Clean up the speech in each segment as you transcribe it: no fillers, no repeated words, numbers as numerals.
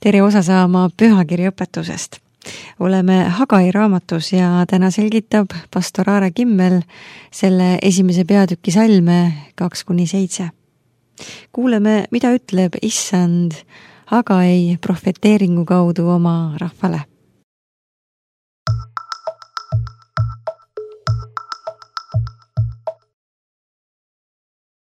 tere osa saama pühakirjaõpetusest. Oleme Hagai raamatus ja täna selgitab pastor Aare Kimmel selle esimese peatüki salme 2-7. Kuuleme, mida ütleb Issand Hagai profeteeringu kaudu oma rahvale.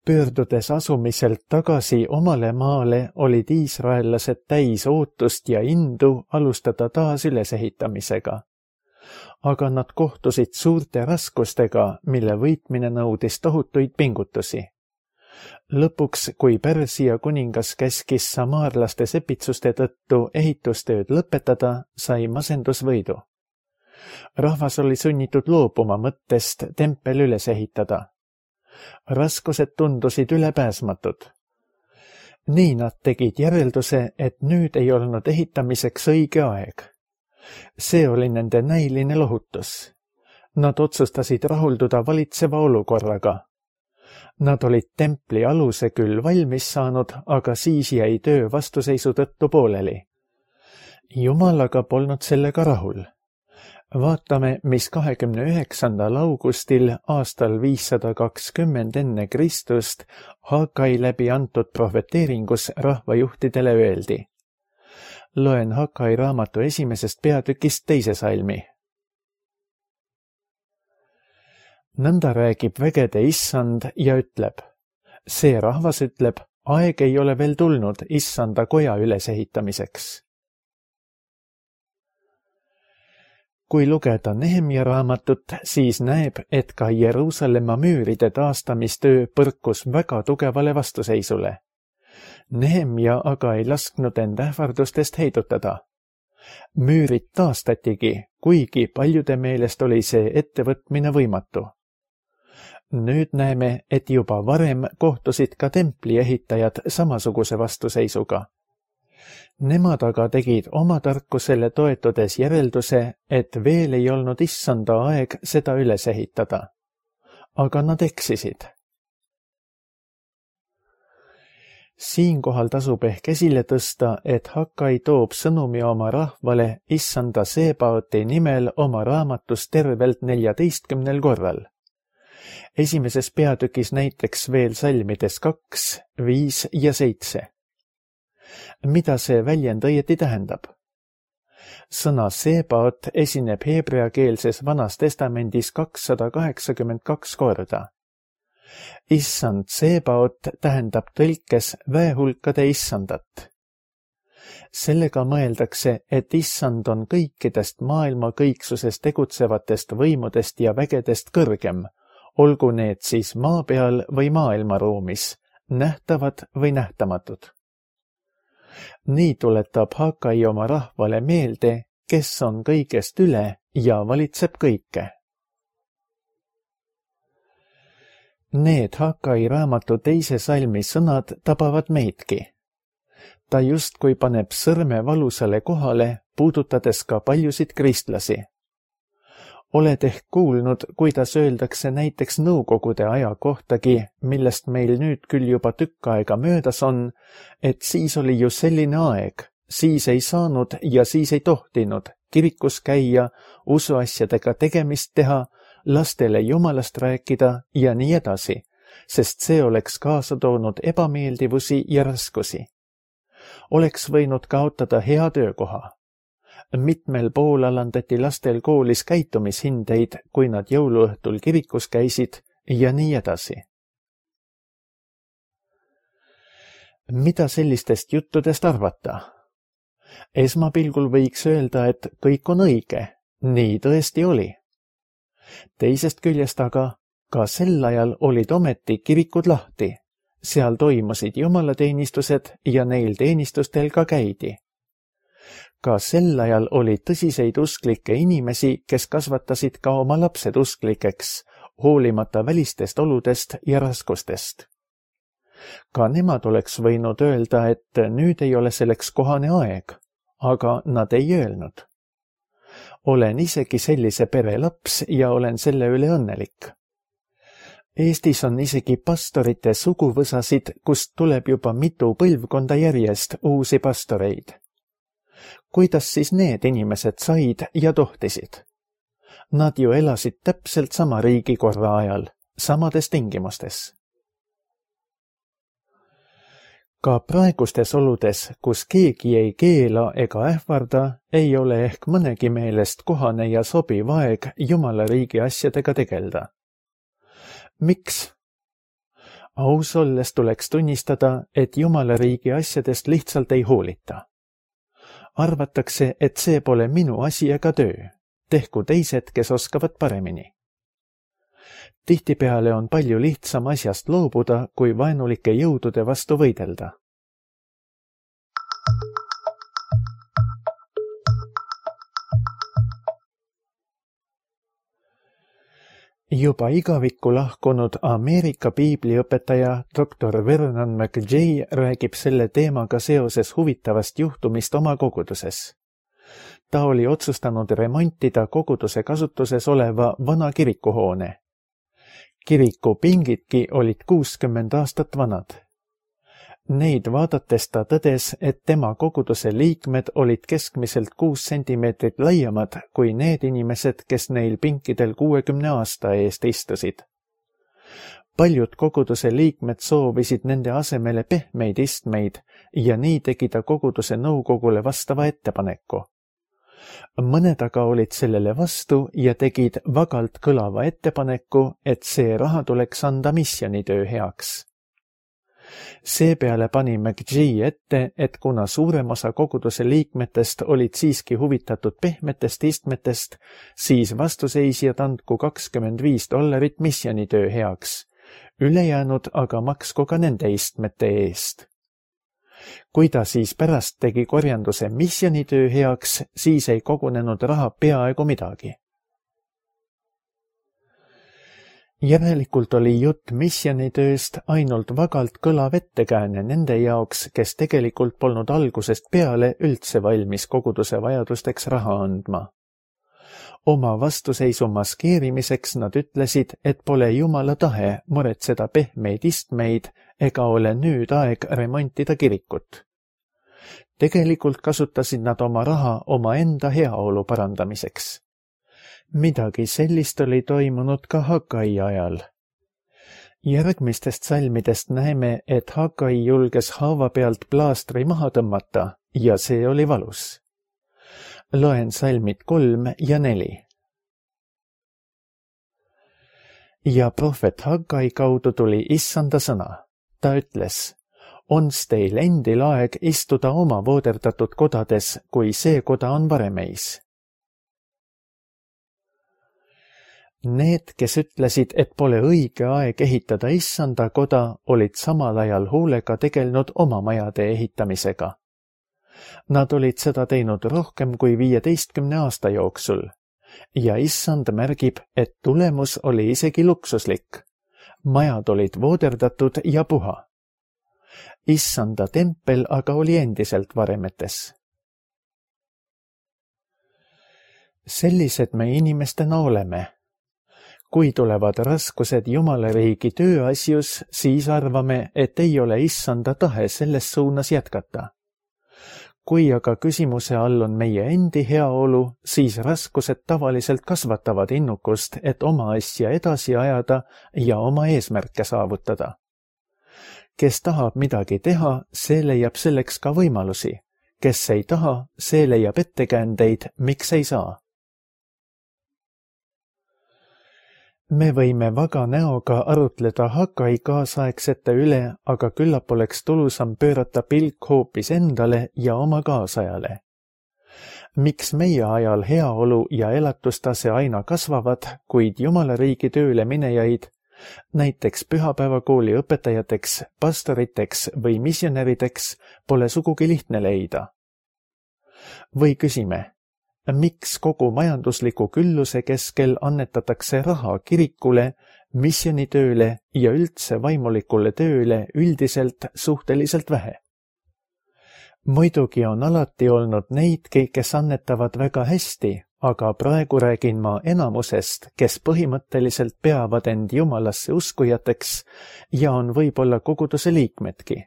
Pöördudes asumiselt tagasi omale maale olid iisraellased täis ootust ja indu alustada taas ülesehitamisega. Aga nad kohtusid suurte raskustega, mille võitmine nõudis tohutuid pingutusi. Lõpuks, kui Pärsia kuningas käskis samaarlaste sepitsuste tõttu ehitustööd lõpetada, sai masendusvõidu. Rahvas oli sunnitud loobuma mõttest tempel üles ehitada. Raskused tundusid ülepääsmatud. Nii nad tegid järelduse, et nüüd ei olnud ehitamiseks õige aeg. See oli nende näiline lohutus. Nad otsustasid rahulduda valitseva olukorraga. Nad olid templi aluse küll valmis saanud, aga siis jäi töö vastuseisu tõttu pooleli. Jumal aga polnud sellega rahul. Vaatame, mis 29. augustil aastal 520 enne Kristust Hagai läbi antud profeteeringus rahvajuhtidele öeldi. Loen Hagai raamatu esimesest peatükist 2. salmi. Nõnda räägib vägede Issand ja ütleb. See rahvas ütleb, aeg ei ole veel tulnud Issanda koja ülesehitamiseks. Kui lugeda Nehemia raamatut, siis näeb, et ka Jeruusalemma müüride taastamistöö põrkus väga tugevale vastuseisule. Nehemia aga ei lasknud end ähvardustest heidutada. Müürid taastatigi, kuigi paljude meelest oli see ettevõtmine võimatu. Nüüd näeme, et juba varem kohtusid ka templi ehitajad samasuguse vastuseisuga. Nemad aga tegid oma tarkusele toetudes järelduse, et veel ei olnud Issanda aeg seda üles ehitada. Aga nad eksisid. Siinkohal tasub ehk esile tõsta, et Hagai toob sõnumi oma rahvale Issanda Sebaoti nimel oma raamatus tervelt 14 korral. Esimeses peatükis näiteks veel salmides 2, 5 ja 7. Mida see väljend õieti tähendab? Sõna Sebaot esineb heebreakeelses Vanas Testamendis 282 korda. Issand Sebaot tähendab tõlkes väehulkade issandat. Sellega mõeldakse, et Issand on kõikidest maailma kõiksuses tegutsevatest võimudest ja vägedest kõrgem, olgu need siis maa peal või maailmaruumis, nähtavad või nähtamatud. Nii tuletab Hagai oma rahvale meelde, kes on kõigest üle ja valitseb kõike. Need Hagai raamatu 2. salmi sõnad tabavad meidki. Ta justkui paneb sõrme valusale kohale, puudutades ka paljusid kristlasi. Oled ehk kuulnud, kuidas öeldakse näiteks nõukogude aja kohtagi, millest meil nüüd küll juba tükk aega möödas on, et siis oli ju selline aeg, siis ei saanud ja siis ei tohtinud kirikus käia, usuasjadega tegemist teha, lastele jumalast rääkida ja nii edasi, sest see oleks kaasa toonud ebameeldivusi ja raskusi. Oleks võinud kaotada hea töökoha. Mitmel pool alandati lastel koolis käitumishindeid, kui nad jõuluõhtul kirikus käisid ja nii edasi. Mida sellistest juttudest arvata? Esmapilgul võiks öelda, et kõik on õige, nii tõesti oli. Teisest küljest aga, ka sel ajal olid ometi kirikud lahti, seal toimusid jumalateenistused ja neil teenistustel ka käidi. Ka sel ajal oli tõsiseid usklikke inimesi, kes kasvatasid ka oma lapsed usklikeks, hoolimata välistest oludest ja raskustest. Ka nemad oleks võinud öelda, et nüüd ei ole selleks kohane aeg, aga nad ei öelnud. Olen isegi sellise pere laps ja olen selle üle õnnelik. Eestis on isegi pastorite suguvõsasid, kust tuleb juba mitu põlvkonda järjest uusi pastoreid. Kuidas siis need inimesed said ja tohtisid? Nad ju elasid täpselt sama riigikorra ajal, samades tingimustes. Ka praegustes oludes, kus keegi ei keela ega ähvarda, ei ole ehk mõnegi meelest kohane ja sobiv aeg Jumala riigi asjadega tegelda. Miks? Aus olles tuleks tunnistada, et Jumala riigi asjadest lihtsalt ei hoolita. Arvatakse, et see pole minu asi ega töö. Tehku teised, kes oskavad paremini. Tihtipeale on palju lihtsam asjast loobuda, kui vaenulike jõudude vastu võidelda. Juba igavikku lahkunud Ameerika piibliõpetaja Dr. Vernon McGee räägib selle teemaga seoses huvitavast juhtumist oma koguduses. Ta oli otsustanud remontida koguduse kasutuses oleva vana kirikuhoone. Kiriku pingidki olid 60 aastat vanad. Neid vaadates ta tõdes, et tema koguduse liikmed olid keskmiselt 6 sentimeetrit laiemad kui need inimesed, kes neil pinkidel 60 aasta eest istusid. Paljud koguduse liikmed soovisid nende asemele pehmeid istmeid ja nii tegi ta koguduse nõukogule vastava ettepaneku. Mõned aga olid sellele vastu ja tegid vagalt kõlava ettepaneku, et see raha tuleks anda missioonitöö heaks. Seepeale pani McGee ette, et kuna suurem osa koguduse liikmetest olid siiski huvitatud pehmetest istmetest, siis vastuseisjad andku $25 missioonitöö heaks, ülejäänud aga maksku ka nende istmete eest. Kui ta siis pärast tegi korjanduse missioonitöö heaks, siis ei kogunenud raha peaaegu midagi. Järelikult oli jutt missioonitööst ainult vagalt kõlav ettekääne nende jaoks, kes tegelikult polnud algusest peale üldse valmis koguduse vajadusteks raha andma. Oma vastuseisu maskeerimiseks nad ütlesid, et pole Jumala tahe muretseda pehmeid istmeid ega ole nüüd aeg remontida kirikut. Tegelikult kasutasid nad oma raha omaenda heaolu parandamiseks. Midagi sellist oli toimunud ka Hagai ajal. Järgmistest salmidest näeme, et Hagai julges haava pealt plaastri maha tõmmata ja see oli valus. Loen salmid 3 ja 4. Ja prohvet Hagai kaudu tuli issanda sõna. Ta ütles, ons teil endil aeg istuda oma vooderdatud kodades, kui see koda on varem ees. Need, kes ütlesid, et pole õige aeg ehitada issanda koda, olid samal ajal hoolega tegelenud oma majade ehitamisega. Nad olid seda teinud rohkem kui 15 aasta jooksul ja issand märgib, et tulemus oli isegi luksuslik. Majad olid vooderdatud ja puha. Issanda tempel aga oli endiselt varemetes. Sellised me inimestena oleme. Kui tulevad raskused Jumala riigi tööasjus, siis arvame, et ei ole issanda tahe selles suunas jätkata. Kui aga küsimuse all on meie endi heaolu, siis raskused tavaliselt kasvatavad innukust, et oma asja edasi ajada ja oma eesmärke saavutada. Kes tahab midagi teha, see leiab selleks ka võimalusi. Kes ei taha, see leiab ettekäändeid, miks ei saa. Me võime vaga näoga arutleda Hagai kaasaegsete üle, aga küllap oleks tulusam pöörata pilk hoopis endale ja oma kaasajale. Miks meie ajal heaolu ja elatustase aina kasvavad, kuid Jumala riigi tööle minejaid, näiteks pühapäevakooli õpetajateks, pastoriteks või missionärideks, pole sugugi lihtne leida? Või küsime, miks kogu majandusliku külluse keskel annetatakse raha kirikule, missionitööle ja üldse vaimulikule tööle üldiselt suhteliselt vähe? Muidugi on alati olnud neidki, kes annetavad väga hästi, aga praegu räägin ma enamusest, kes põhimõtteliselt peavad end Jumalasse uskujateks ja on võib-olla koguduse liikmedki.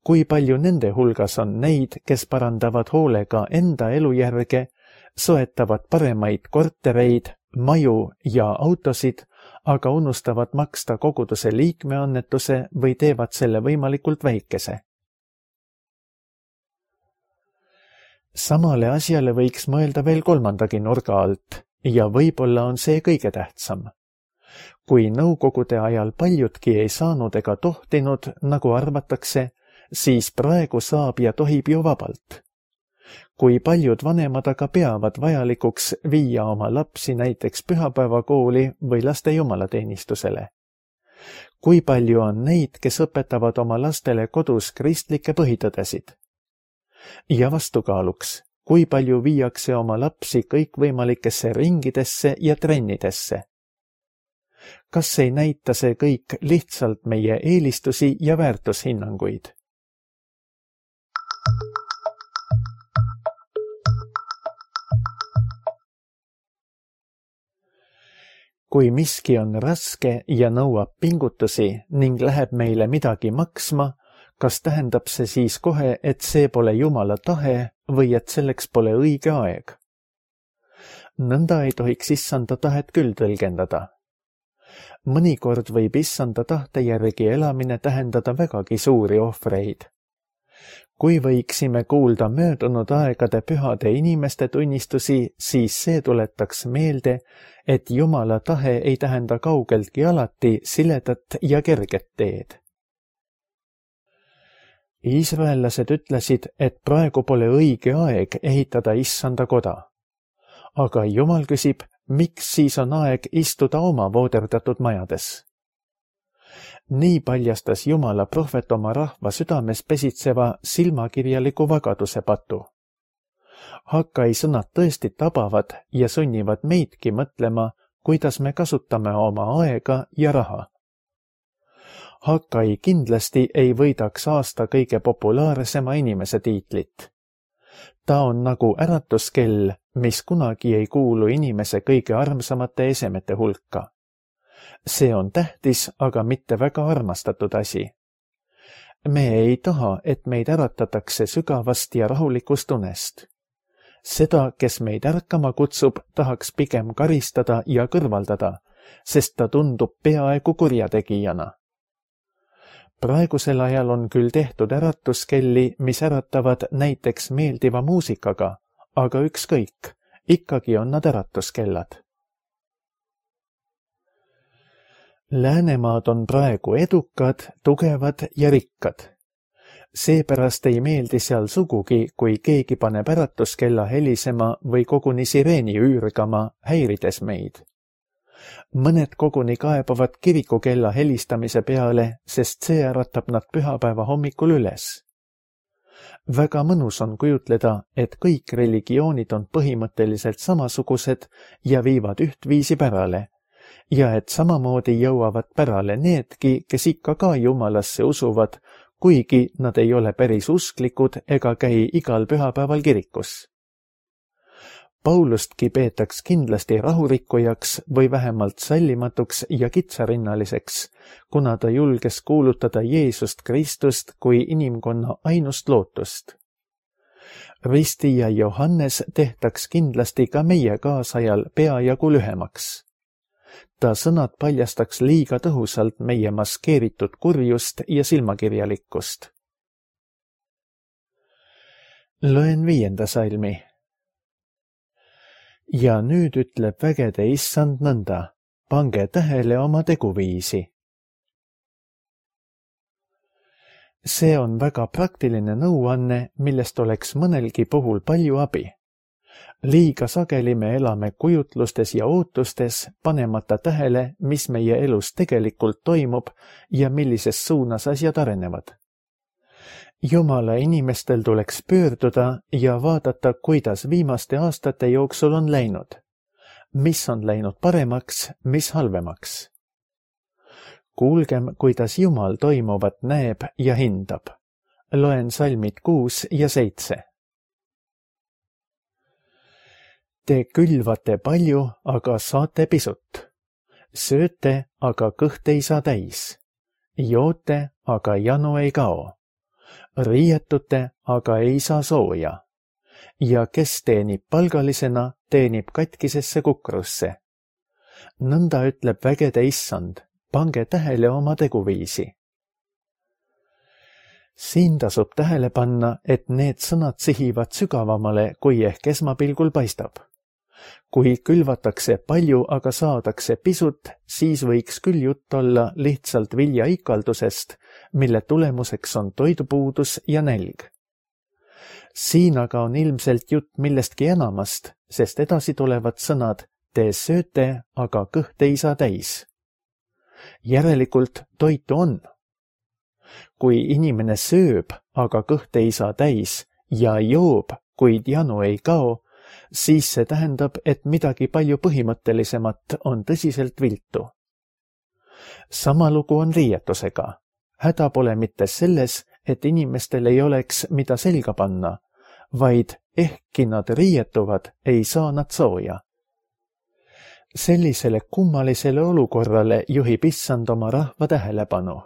kui palju nende hulgas on neid, kes parandavad hoolega enda elujärge, soetavad paremaid kortereid, maju ja autosid, aga unustavad maksta koguduse liikmeannetuse või teevad selle võimalikult väikese. Samale asjale võiks mõelda veel kolmandagi nurga alt ja võib-olla on see kõige tähtsam. Kui nõukogude ajal paljudki ei saanud ega tohtinud, nagu arvatakse, siis praegu saab ja tohib ju vabalt. Kui paljud vanemad aga peavad vajalikuks viia oma lapsi näiteks pühapäevakooli või laste jumalateenistusele. Kui palju on neid, kes õpetavad oma lastele kodus kristlikke põhitõdesid? Ja vastukaaluks, kui palju viiakse oma lapsi kõikvõimalikesse ringidesse ja trennidesse? Kas ei näita see kõik lihtsalt meie eelistusi ja väärtushinnanguid? Kui miski on raske ja nõuab pingutusi ning läheb meile midagi maksma, kas tähendab see siis kohe, et see pole Jumala tahe või et selleks pole õige aeg? Nõnda ei tohiks issanda tahet küll tõlgendada. Mõnikord võib issanda tahte järgi elamine tähendada vägagi suuri ohvreid. Kui võiksime kuulda möödunud aegade pühade inimeste tunnistusi, siis see tuletaks meelde, et Jumala tahe ei tähenda kaugeltki alati siledat ja kerget teed. Iisraellased ütlesid, et praegu pole õige aeg ehitada issanda koda. Aga Jumal küsib, miks siis on aeg istuda oma vooderdatud majades? Nii paljastas Jumala prohvet oma rahva südames pesitseva silmakirjaliku vagaduse patu. Hakkai sõnad tõesti tabavad ja sunnivad meidki mõtlema, kuidas me kasutame oma aega ja raha. Hakkai kindlasti ei võidaks aasta kõige populaarsema inimese tiitlit. Ta on nagu äratuskell, mis kunagi ei kuulu inimese kõige armsamate esemete hulka. See on tähtis, aga mitte väga armastatud asi. Me ei taha, et meid äratatakse sügavast ja rahulikust unest. Seda, kes meid ärkama kutsub, tahaks pigem karistada ja kõrvaldada, sest ta tundub peaaegu kurjategijana. Praegusel ajal on küll tehtud äratuskelli, mis äratavad näiteks meeldiva muusikaga, aga ükskõik, ikkagi on nad äratuskellad. Läänemaad on praegu edukad, tugevad ja rikkad. Seepärast ei meeldi seal sugugi, kui keegi paneb äratuskella helisema või koguni sireeni üürgama, häirides meid. Mõned koguni kaebavad kirikukella helistamise peale, sest see äratab nad pühapäeva hommikul üles. Väga mõnus on kujutleda, et kõik religioonid on põhimõtteliselt samasugused ja viivad ühtviisi pärale, ja et samamoodi jõuavad pärale needki, kes ikka ka Jumalasse usuvad, kuigi nad ei ole päris usklikud ega käi igal pühapäeval kirikus. Paulustki peetaks kindlasti rahurikkujaks või vähemalt sallimatuks ja kitsarinnaliseks, kuna ta julges kuulutada Jeesust Kristust kui inimkonna ainust lootust. Risti ja Johannes tehtaks kindlasti ka meie kaasajal peajagu lühemaks. Ta sõnad paljastaks liiga tõhusalt meie maskeeritud kurjust ja silmakirjalikkust. Loen 5. salmi. Ja nüüd ütleb vägede issand nõnda, pange tähele oma teguviisi. See on väga praktiline nõuanne, millest oleks mõnelgi puhul palju abi. Liiga sageli me elame kujutlustes ja ootustes, panemata tähele, mis meie elus tegelikult toimub ja millises suunas asjad arenevad. Jumala inimestel tuleks pöörduda ja vaadata, kuidas viimaste aastate jooksul on läinud. Mis on läinud paremaks, mis halvemaks. Kuulgem, kuidas Jumal toimuvat näeb ja hindab. Loen salmid 6 ja 7. Te külvate palju, aga saate pisut. Sööte, aga kõht ei saa täis. Joote, aga janu ei kao. Riietute, aga ei saa sooja. Ja kes teenib palgalisena, teenib katkisesse kukrusse. Nõnda ütleb vägede issand, pange tähele oma teguviisi. Siin tasub tähele panna, et need sõnad sihivad sügavamale, kui ehk esmapilgul paistab. Kui külvatakse palju, aga saadakse pisut, siis võiks küll jutt olla lihtsalt viljaikaldusest, mille tulemuseks on toidupuudus ja nälg. Siin aga on ilmselt jutt millestki enamast, sest edasi tulevad sõnad te sööte, aga kõht ei saa täis. Järelikult toitu on. Kui inimene sööb, aga kõht ei saa täis ja joob, kuid janu ei kao, siis see tähendab, et midagi palju põhimõttelisemat on tõsiselt viltu. Sama lugu on riietusega. Häda pole mitte selles, et inimestel ei oleks mida selga panna, vaid ehkki nad riietuvad, ei saa nad sooja. Sellisele kummalisele olukorrale juhib issand oma rahva tähelepanu.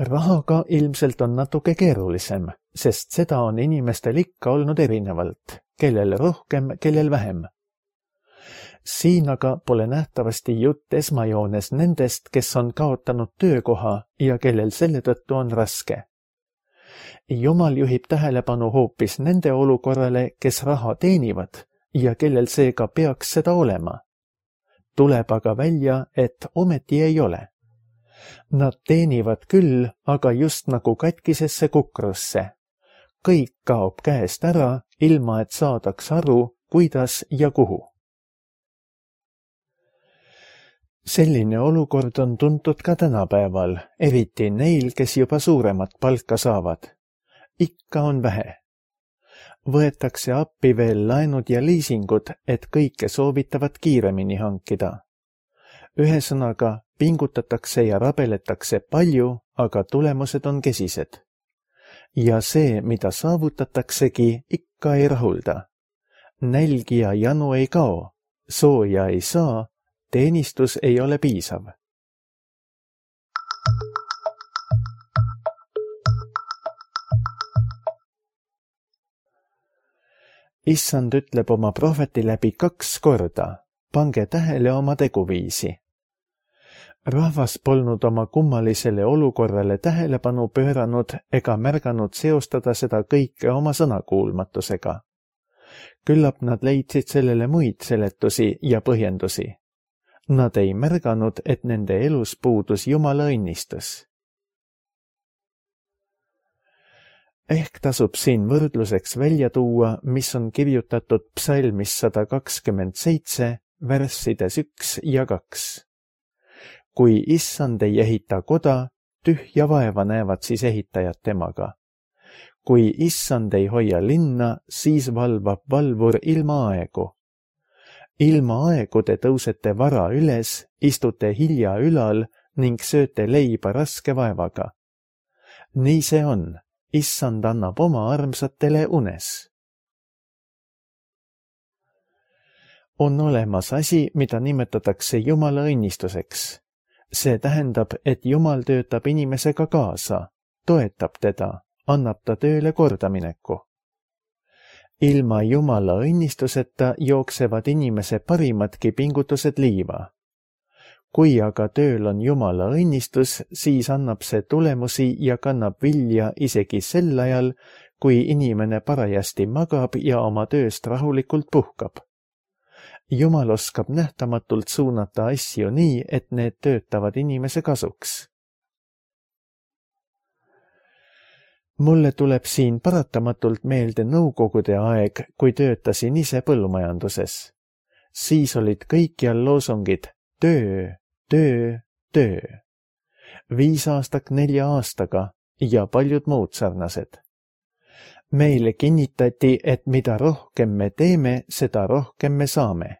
Rahaga ilmselt on natuke keerulisem, sest seda on inimestel ikka olnud erinevalt, kellel rohkem, kellel vähem. Siin aga pole nähtavasti jutt esmajoones nendest, kes on kaotanud töökoha ja kellel selle tõttu on raske. Jumal juhib tähelepanu hoopis nende olukorrale, kes raha teenivad ja kellel seega peaks seda olema. Tuleb aga välja, et ometi ei ole. Nad teenivad küll, aga just nagu katkisesse kukrusse. Kõik kaob käest ära, ilma et saadaks aru, kuidas ja kuhu. Selline olukord on tuntud ka tänapäeval, eriti neil, kes juba suuremat palka saavad. Ikka on vähe. Võetakse appi veel laenud ja liisingud, et kõike soovitavat kiiremini hankida. Ühesõnaga, pingutatakse ja rabeletakse palju, aga tulemused on kesised. Ja see, mida saavutataksegi, ikka ei rahulda. Nälg ja janu ei kao, sooja ei saa, teenistus ei ole piisav. Issand ütleb oma prohveti läbi 2 korda, pange tähele oma teguviisi. Rahvas polnud oma kummalisele olukorrale tähelepanu pööranud ega märganud seostada seda kõike oma sõnakuulmatusega. Küllap nad leidsid sellele muid seletusi ja põhjendusi. Nad ei märganud, et nende elus puudus Jumala õnnistus. Ehk tasub siin võrdluseks välja tuua, mis on kirjutatud psalmis 127, värssides 1 ja 2. Kui issand ei ehita koda, tühja vaeva näevad siis ehitajad temaga. Kui issand ei hoia linna, siis valvab valvur ilma aegu. Ilma aegu te tõusete vara üles, istute hilja ülal ning sööte leiba raske vaevaga. Nii see on. Issand annab oma armsatele unes. On olemas asi, mida nimetatakse Jumala õnnistuseks. See tähendab, et Jumal töötab inimesega kaasa, toetab teda, annab ta tööle kordamineku. Ilma Jumala õnnistuseta jooksevad inimese parimadki pingutused liiva. Kui aga tööl on Jumala õnnistus, siis annab see tulemusi ja kannab vilja isegi sel ajal, kui inimene parajasti magab ja oma tööst rahulikult puhkab. Jumal oskab nähtamatult suunata asju nii, et need töötavad inimese kasuks. Mulle tuleb siin paratamatult meelde nõukogude aeg, kui töötasin ise põllumajanduses. Siis olid kõikjal loosungid töö, töö, töö. 5 aastak 4 aastaga ja paljud muud sarnased. Meile kinnitati, et mida rohkem me teeme, seda rohkem me saame.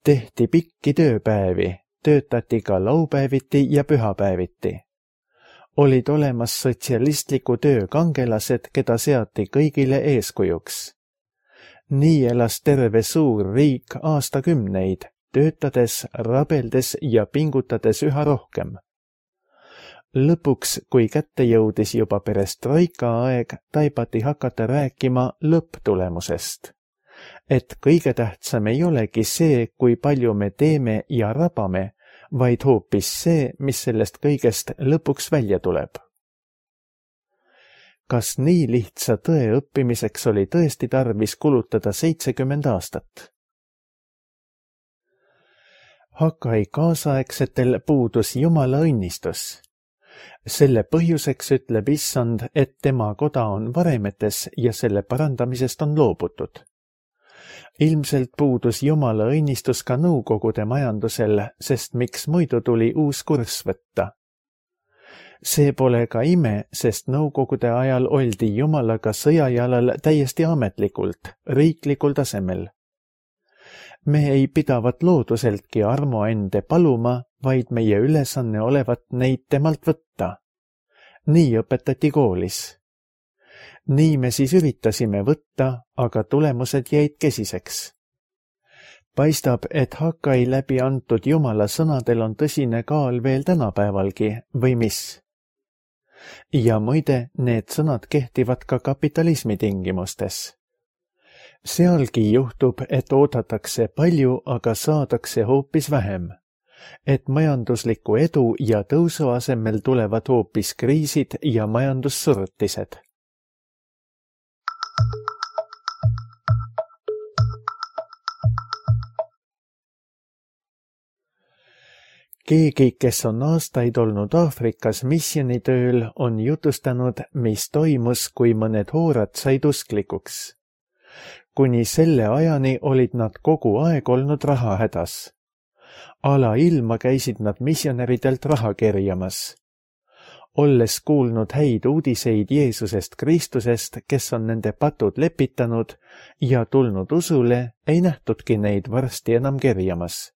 Tehti pikki tööpäevi, töötati ka laupäeviti ja pühapäeviti. Olid olemas sotsialistliku töö kangelased, keda seati kõigile eeskujuks. Nii elas terve suur riik aastakümneid, töötades, rabeldes ja pingutades üha rohkem. Lõpuks, kui kätte jõudis juba perestroika aeg, taibati hakata rääkima lõpptulemusest. Et kõige tähtsam ei olegi see, kui palju me teeme ja rabame, vaid hoopis see, mis sellest kõigest lõpuks välja tuleb. Kas nii lihtsa tõe õppimiseks oli tõesti tarvis kulutada 70 aastat? Hagai kaasaegsetel puudus Jumala õnnistus. Selle põhjuseks ütleb Issand, et tema koda on varemetes ja selle parandamisest on loobutud. Ilmselt puudus Jumala õnnistus ka nõukogude majandusel, sest miks muidu tuli uus kurss võtta. See pole ka ime, sest nõukogude ajal oldi Jumalaga sõjajalal täiesti ametlikult, riiklikul tasemel. Me ei pidavat looduseltki armuande paluma, vaid meie ülesanne olevat neid temalt võtta. Nii õpetati koolis. Nii me siis üritasime võtta, aga tulemused jäid kesiseks. Paistab, et Hagai läbi antud Jumala sõnadel on tõsine kaal veel tänapäevalgi, või mis? Ja muide, need sõnad kehtivad ka kapitalismi tingimustes. Sealgi juhtub, et oodatakse palju, aga saadakse hoopis vähem. Et majandusliku edu ja tõusu asemel tulevad hoopis kriisid ja majandussurutised. Keegi, kes on aastaid olnud Aafrikas missionitööl, on jutustanud, mis toimus, kui mõned hoorad said usklikuks. Kuni selle ajani olid nad kogu aeg olnud rahahädas. Alailma käisid nad missionäridelt raha kerjamas. Olles kuulnud häid uudiseid Jeesusest Kristusest, kes on nende patud lepitanud ja tulnud usule, ei nähtudki neid varsti enam kerjamas.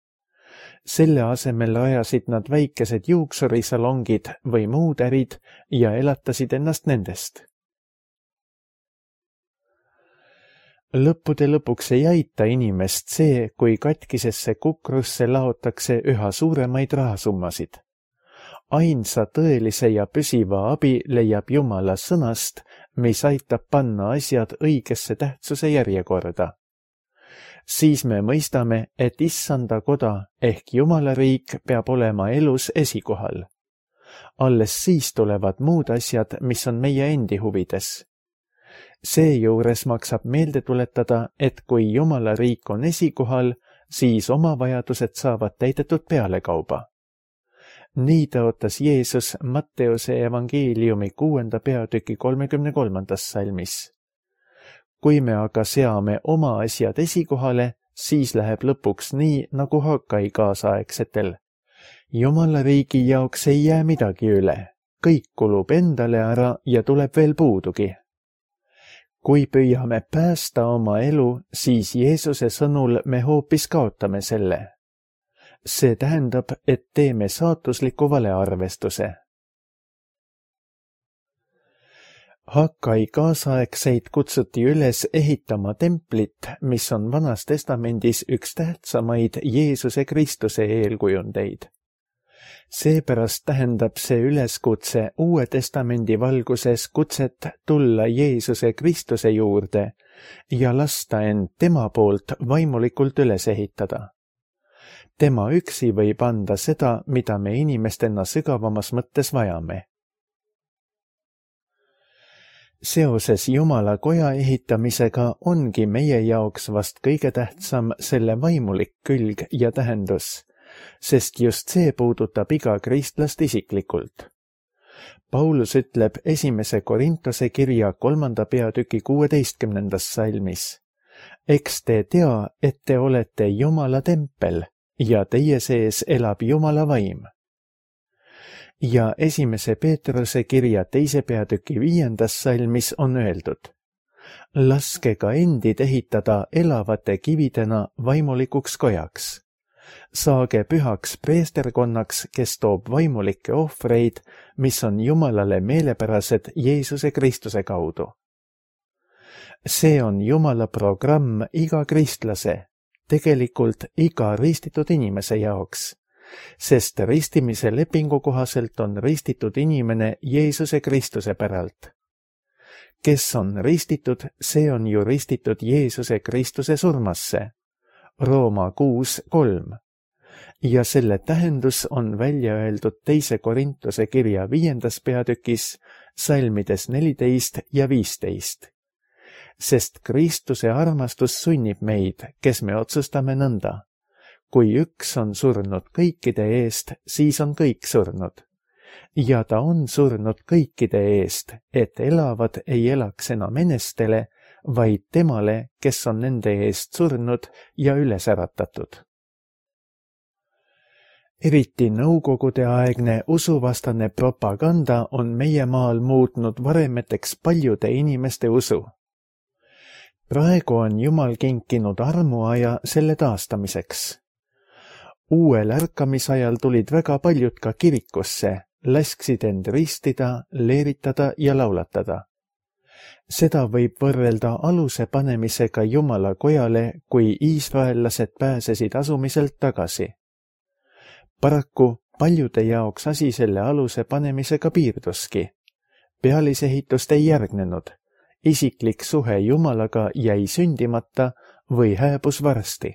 Selle asemel rajasid nad väikesed juuksurisalongid või muud ärid ja elatasid ennast nendest. Lõppude lõpuks ei aita inimest see, kui katkisesse kukrusse laotakse üha suuremaid rahasummasid. Ainsa tõelise ja püsiva abi leiab Jumala sõnast, mis aitab panna asjad õigesse tähtsuse järjekorda. Siis me mõistame, et Issanda koda ehk Jumala riik peab olema elus esikohal. Alles siis tulevad muud asjad, mis on meie endi huvides. Seejuures maksab meelde tuletada, et kui Jumala riik on esikohal, siis oma vajadused saavad täidetud pealekauba. Nii tõotas Jeesus Matteuse evangeeliumi 6. peatüki 33. salmis. Kui me aga seame oma asjad esikohale, siis läheb lõpuks nii, nagu Hagai kaasaegsetel. Jumala riigi jaoks ei jää midagi üle. Kõik kulub endale ära ja tuleb veel puudugi. Kui püüame päästa oma elu, siis Jeesuse sõnul me hoopis kaotame selle. See tähendab, et teeme saatusliku valearvestuse. Hagai kaasaegseid kutsuti üles ehitama templit, mis on Vanas Testamendis üks tähtsamaid Jeesuse Kristuse eelkujundeid. Seepärast tähendab see üleskutse Uue Testamendi valguses kutset tulla Jeesuse Kristuse juurde ja lasta end tema poolt vaimulikult üles ehitada. Tema üksi võib anda seda, mida me inimestena sügavamas mõttes vajame. Seoses Jumala koja ehitamisega ongi meie jaoks vast kõige tähtsam selle vaimulik külg ja tähendus, sest just see puudutab iga kristlast isiklikult. Paulus ütleb 1. Korintuse kirja 3. peatüki 16. salmis. Eks te tea, et te olete Jumala tempel ja teie sees elab Jumala vaim. Ja 1. Peetruse kirja 2. peatüki 5. salmis on öeldud. Laske ka endid ehitada elavate kividena vaimulikuks kojaks. Saage pühaks preesterkonnaks, kes toob vaimulikke ohvreid, mis on Jumalale meelepärased Jeesuse Kristuse kaudu. See on Jumala programm iga kristlase, tegelikult iga ristitud inimese jaoks, sest ristimise lepingu kohaselt on ristitud inimene Jeesuse Kristuse päralt. Kes on ristitud, see on ju ristitud Jeesuse Kristuse surmasse. Rooma 6:3. Ja selle tähendus on välja öeldud 2 Korintuse kirja 5. peatükis, salmides 14 ja 15. Sest Kristuse armastus sunnib meid, kes me otsustame nõnda. Kui üks on surnud kõikide eest, siis on kõik surnud. Ja ta on surnud kõikide eest, et elavad ei elaks enam enestele, vaid temale, kes on nende eest surnud ja üles äratatud. Eriti nõukogudeaegne usuvastane propaganda on meie maal muutnud varemeteks paljude inimeste usu. Praegu on Jumal kinkinud armuaja selle taastamiseks. Uuel ärkamisajal tulid väga paljud ka kirikusse, lasksid end ristida, leeritada ja laulatada. Seda võib võrrelda aluse panemisega Jumala kojale, kui iisraellased pääsesid asumiselt tagasi. Paraku paljude jaoks asi selle aluse panemisega piirduski. Pealisehitust ei järgnenud. Isiklik suhe Jumalaga jäi sündimata või hääbus varsti.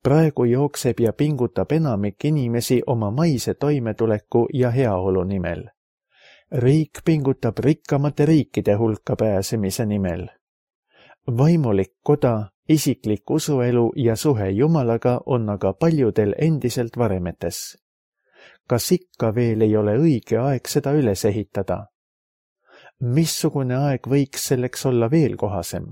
Praegu jookseb ja pingutab enamik inimesi oma maise toimetuleku ja heaolu nimel. Riik pingutab rikkamate riikide hulka pääsemise nimel. Vaimulik koda, isiklik usuelu ja suhe Jumalaga on aga paljudel endiselt varemetes. Kas ikka veel ei ole õige aeg seda üles ehitada? Missugune aeg võiks selleks olla veel kohasem?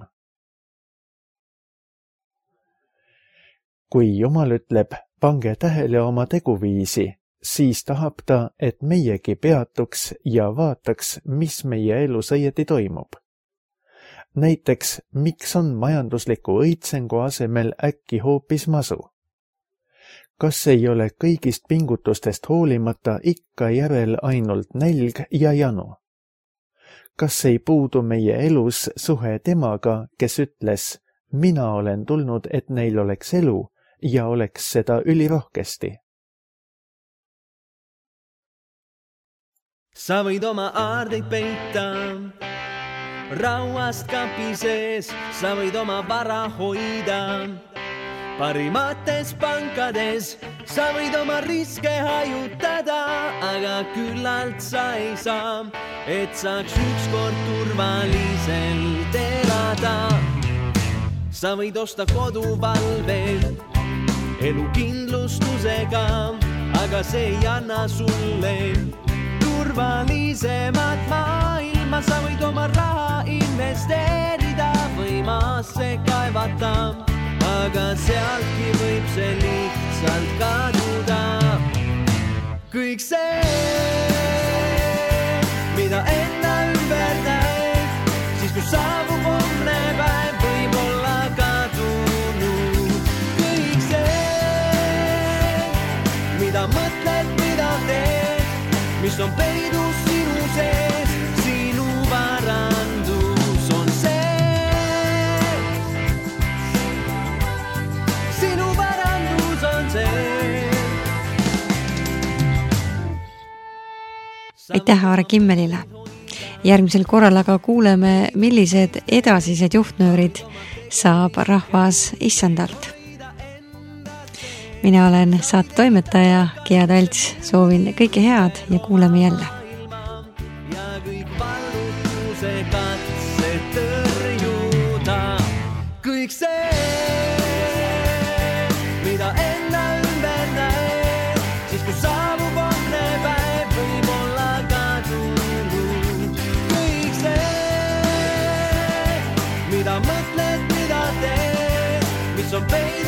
Kui Jumal ütleb, pange tähele oma teguviisi, siis tahab ta, et meiegi peatuks ja vaataks, mis meie elus õieti toimub. Näiteks, miks on majandusliku õitsengu asemel äkki hoopis masu? Kas ei ole kõigist pingutustest hoolimata ikka järel ainult nälg ja janu? Kas ei puudu meie elus suhe temaga, kes ütles, mina olen tulnud, et neil oleks elu ja oleks seda ülirohkesti? Sa võid oma aardeid peita rauast kapi sees, sa võid oma vara hoida parimates pankades, sa võid oma riske hajutada, aga küllalt sa ei saa, et saaks ükskord turvaliselt elada. Sa võid osta koduvalve elukindlustusega, aga see ei anna sulle turvalisemat maailma. Sa võid oma raha investeerida või maasse kaevata, aga sealtki võib see lihtsalt kaduda. Kõik see, mida enda ümber näed, siis kui saabub homne päev, võib olla kadunud. Kõik see, mida mõtled, mida teed, mis on peidus sinu sees, sinu varandus on see. Sinu varandus on see. Aitäh Aare Kimmelile. Järgmisel korral aga kuuleme, millised edasised juhtnöörid saab rahvas issandalt. Mina olen saatetoimetaja Gea Talts, soovin kõike head ja kuuleme jälle. Ja kõik vallutuse katsed tõrjuda. Kõik see, mida enda ümber näed, siis kui saabub homne päev, võib olla kadunud. Kõik see, mida mõtled, mida teed, mis on peidus